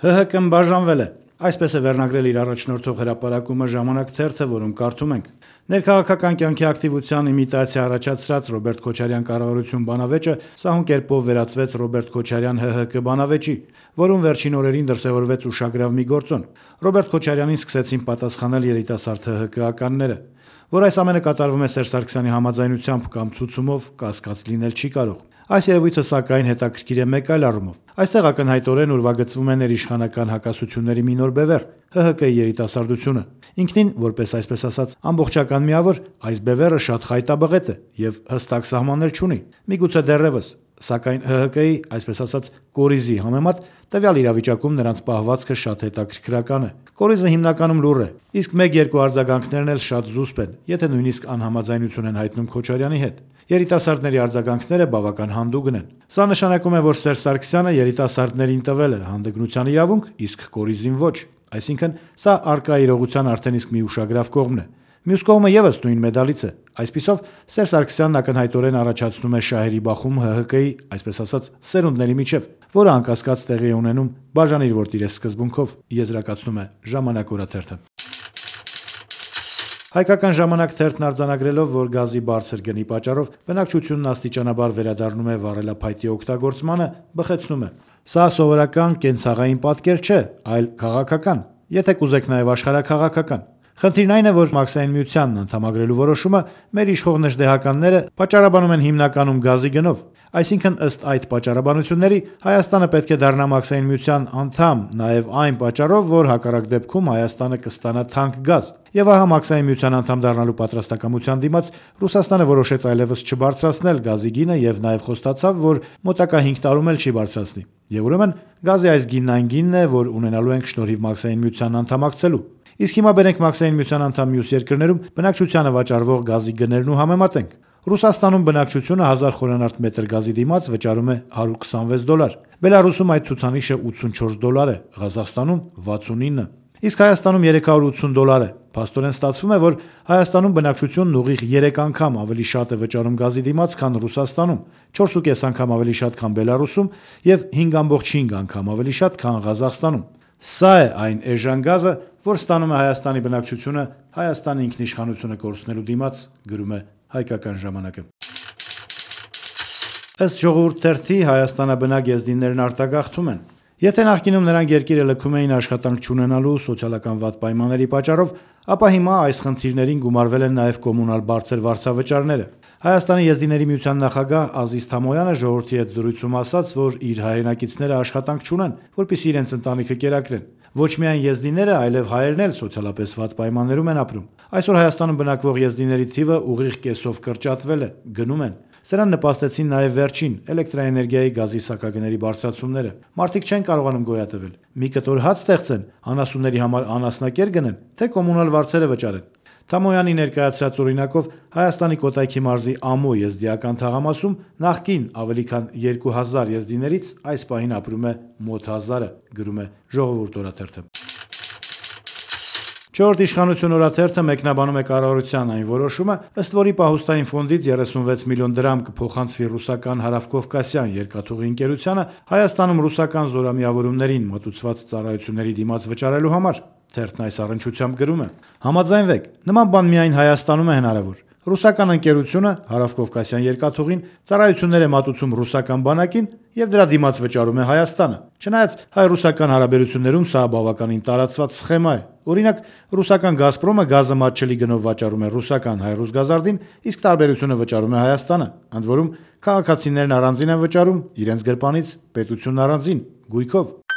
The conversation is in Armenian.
ՀՀԿ-ն բաժանվել է։ Այսպես է վերնագրել իր առաջնորդող հրապարակումը «Ժամանակ» թերթը, որում կարդում ենք. ներքաղաքական կյանքի ակտիվության իմիտացիա առաջացրած Ռոբերտ Քոչարյան կառավարություն բանավեճը սահուն կերպով վերածվեց Ռոբերտ Քոչարյան ՀՀԿ բանավեճի, որում վերջին օրերին դրսևորվեց ուշագրավ մի գործոն։ Ռոբերտ Քոչարյանին սկսեցին պատասխանել երիտասարդ ՀՀԿ-ականները, որ այս ամենը կատարվում է Սերժ Սարգսյանի համաձայնությամբ կամ ցուցումով, կասկած լինել չի կարող։ Այս երևույթը սակայն հետաքրքիր է մեկ այլ առումով։ Այստեղ ակնհայտորեն ուրվագծվում է ներիշխանական հակասությունների մի նոր բևեռ՝ ՀՀԿ-ի երիտասարդությունը։ Ինքնին, որպես այսպես ասած ամբողջական միավոր, այս բևեռը շատ խայտաբղետ է եւ հստակ սահմաններ չունի։ Միգուցե դեռևս, սակայն ՀՀԿ-ի, այսպես ասած, կորիզի համեմատ տվյալ իրավիճակում նրանց պահվածքը շատ հետաքրքրական է։ Կորիզը հիմնականում լուռ է, իսկ 1-2 արձագանքներն էլ շատ զուսպ են, եթե նույնիսկ անհամաձայնություն են հայտնում Քոչարյանի հետ։ Երիտասարդների արձագանքները բավական հանդուգն են։ Սա նշանակում է, որ Սերժ Սարգսյանը երիտասարդներին տվել է հանդգնության իրավունք, իսկ կորիզին ոչ։ Այսինքն, սա առկա իրողության արդեն իսկ մի ուշագրավ կողմն է։ Մյուս կողմը եւս նույն մեդալից է։ Այսպիսով, Սերժ Սարգսյանն ակնհայտորեն առաջացնում է շահերի բախում ՀՀԿ-ի, այսպես ասած, սերունդների միջև, որը անկասկած տեղի է ունենում բաժանիր որտիր ես սկզբունքով, եզրակացնում է «Ժամանակ» օրաթերթը։ Հայկական «Ժամանակ» թերթն արձանագրելով, որ գազի բարձր գնի պատճառով բնակչությունն աստիճանաբար վերադառնում է վառելափայտի օգտագործմանը, բխեցնում է. «Սա սովորական կենցաղային պատկեր չէ, այլ քաղաքական, եթե կուզեք նաև աշխարհաքաղաքական։ Խնդիրն այն է, որ Մաքսային միությանն անդամագրելու որոշումը մեր իշխող նժդեհականները պատճառաբանում են հիմնականում գազի գնով։ Այսինքն, ըստ այդ պատճառաբանությունների, Հայաստանը պետք է դառնա Մաքսային միության անդամ նաև այն պատճառով, որ հակառակ դեպքում Հայաստանը կստանա թանկ գազ։ Եվ ահա Մաքսային միության անդամ դառնալու պատրաստակամության դիմաց Ռուսաստանը որոշեց այլևս չբարձրացնել գազի գինը եւ նաեւ խոստացավ, որ մոտակա 5 տարում էլ չի բարձրացնի։ Եվ ուրեմն գազի այս գինն այն գինն է, որ ունենալու ենք շնորհիվ Մաքսային միության անդամակցելու։ Իսկ հիմա բերենք Մաքսային միության անդամ մյուս երկրներում բնակչությանը վաճառվող գազի գներն ու համեմատենք։ Ռուսաստանում բնակչությունը 1000 խորանարդ մետր գազի դիմաց վճարում է $126։ Բելարուսում այդ ցուցանիշը $84 է, Ղազախստանում 69, իսկ Հայաստանում $380 է։ Փաստորեն ստացվում է, որ Հայաստանում բնակչությունն ուղիղ 3 անգամ ավելի շատ է վճարում գազի դիմաց, քան Ռուսաստանում, 4.5 անգամ ավելի շատ, քան Բելարուսում եւ 5.5 անգամ ավելի շատ, քան Ղազախստանում։ Սա է այն էժան գազը, որ ստանում է Հայաստանի բնակչությունը Հայաստանի ինքնիշխանությունը կորցնելու դիմաց, գրում է Հայկական ժամանակը։ Ըստ Ժողովուրդ թերթի Հայաստանաբնակ եզդիներն արտագաղթում են. եթե նախկինում նրանք երկիրը լքում էին աշխատանք չունենալու սոցիալական վատ պայմանների պատճառով, ապա հիմա այս խնդիրներին գումարվել են նաև կոմունալ բարձր վարձավճարները։ Հայաստանի եզդիների միության նախագահ Ազիզ Թամոյանը ժողովրդի հետ զրույցում ասաց, որ իր հայրենակիցները աշխատանք չունեն, որպեսզի իրենց ընտանիքը կերակրեն։ Ոչ միայն եզդիները, այլև հայերն էլ սոցիալապես վատ պայմաններում են ապրում։ Այսօր Հայաստանում բնակվող եզդիների թիվը ուղիղ կեսով կրճատվել է, գնում են։ Սրան նպաստեցին նաև վերջին էլեկտրաէներգիայի գազի սակագների բարձրացումները։ Մարդիկ չեն կարողանում գոյատևել։ Մի կտոր հաց ստեղծեն, անասունների համար անասնակեր գնեն, թե կոմունալ վարձերը վճարեն։ Թամոյանի ներկայացրած օրինակով Հայաստանի Կոտայքի մարզի Ամո եզդիական թաղամասում նախկին ավելի քան 2000 եզդիներից այս պահին ապրում է մոտ 1000-ը, գրում է Ժողովուրդ օրաթերթը։ Չորրորդ իշխանություն օրաթերթը մեկնաբանում է կառավարության այն որոշումը, ըստ որի պահուստային ֆոնդից 36 միլիոն դրամ կփոխանցվի ռուսական Հարավկովկասյան երկաթուղի ընկերությանը Հայաստանում ռուսական զորամիավորումներին մատուցված ծառայությունների դիմաց վճարելու համար։ Թերթն այս առնչությամբ գրում է. համաձայնվեք, նման բան միայն Հայաստանում է հնարավոր։ Ռուսական ընկերությունը Հարավկովկասյան երկաթուղին ծառայություններ է մատուցում ռուսական բանակին եւ դրա դիմաց վճարում է Հայաստանը։ Չնայած հայ-ռուսական հարաբերություններում սա բավականին տարածված սխեմա է։ Օրինակ, ռուսական Գազպրոմը գազը մատչելի գնով վաճառում է ռուսական Հայ-Ռուսգազարդին, իսկ տարբերությունը վճարում է Հայաստանը։ Ընդ որում, քաղաքացիներն առանձին են վճարում, իրենց գրպանից պետությունն առանձին, գույքով։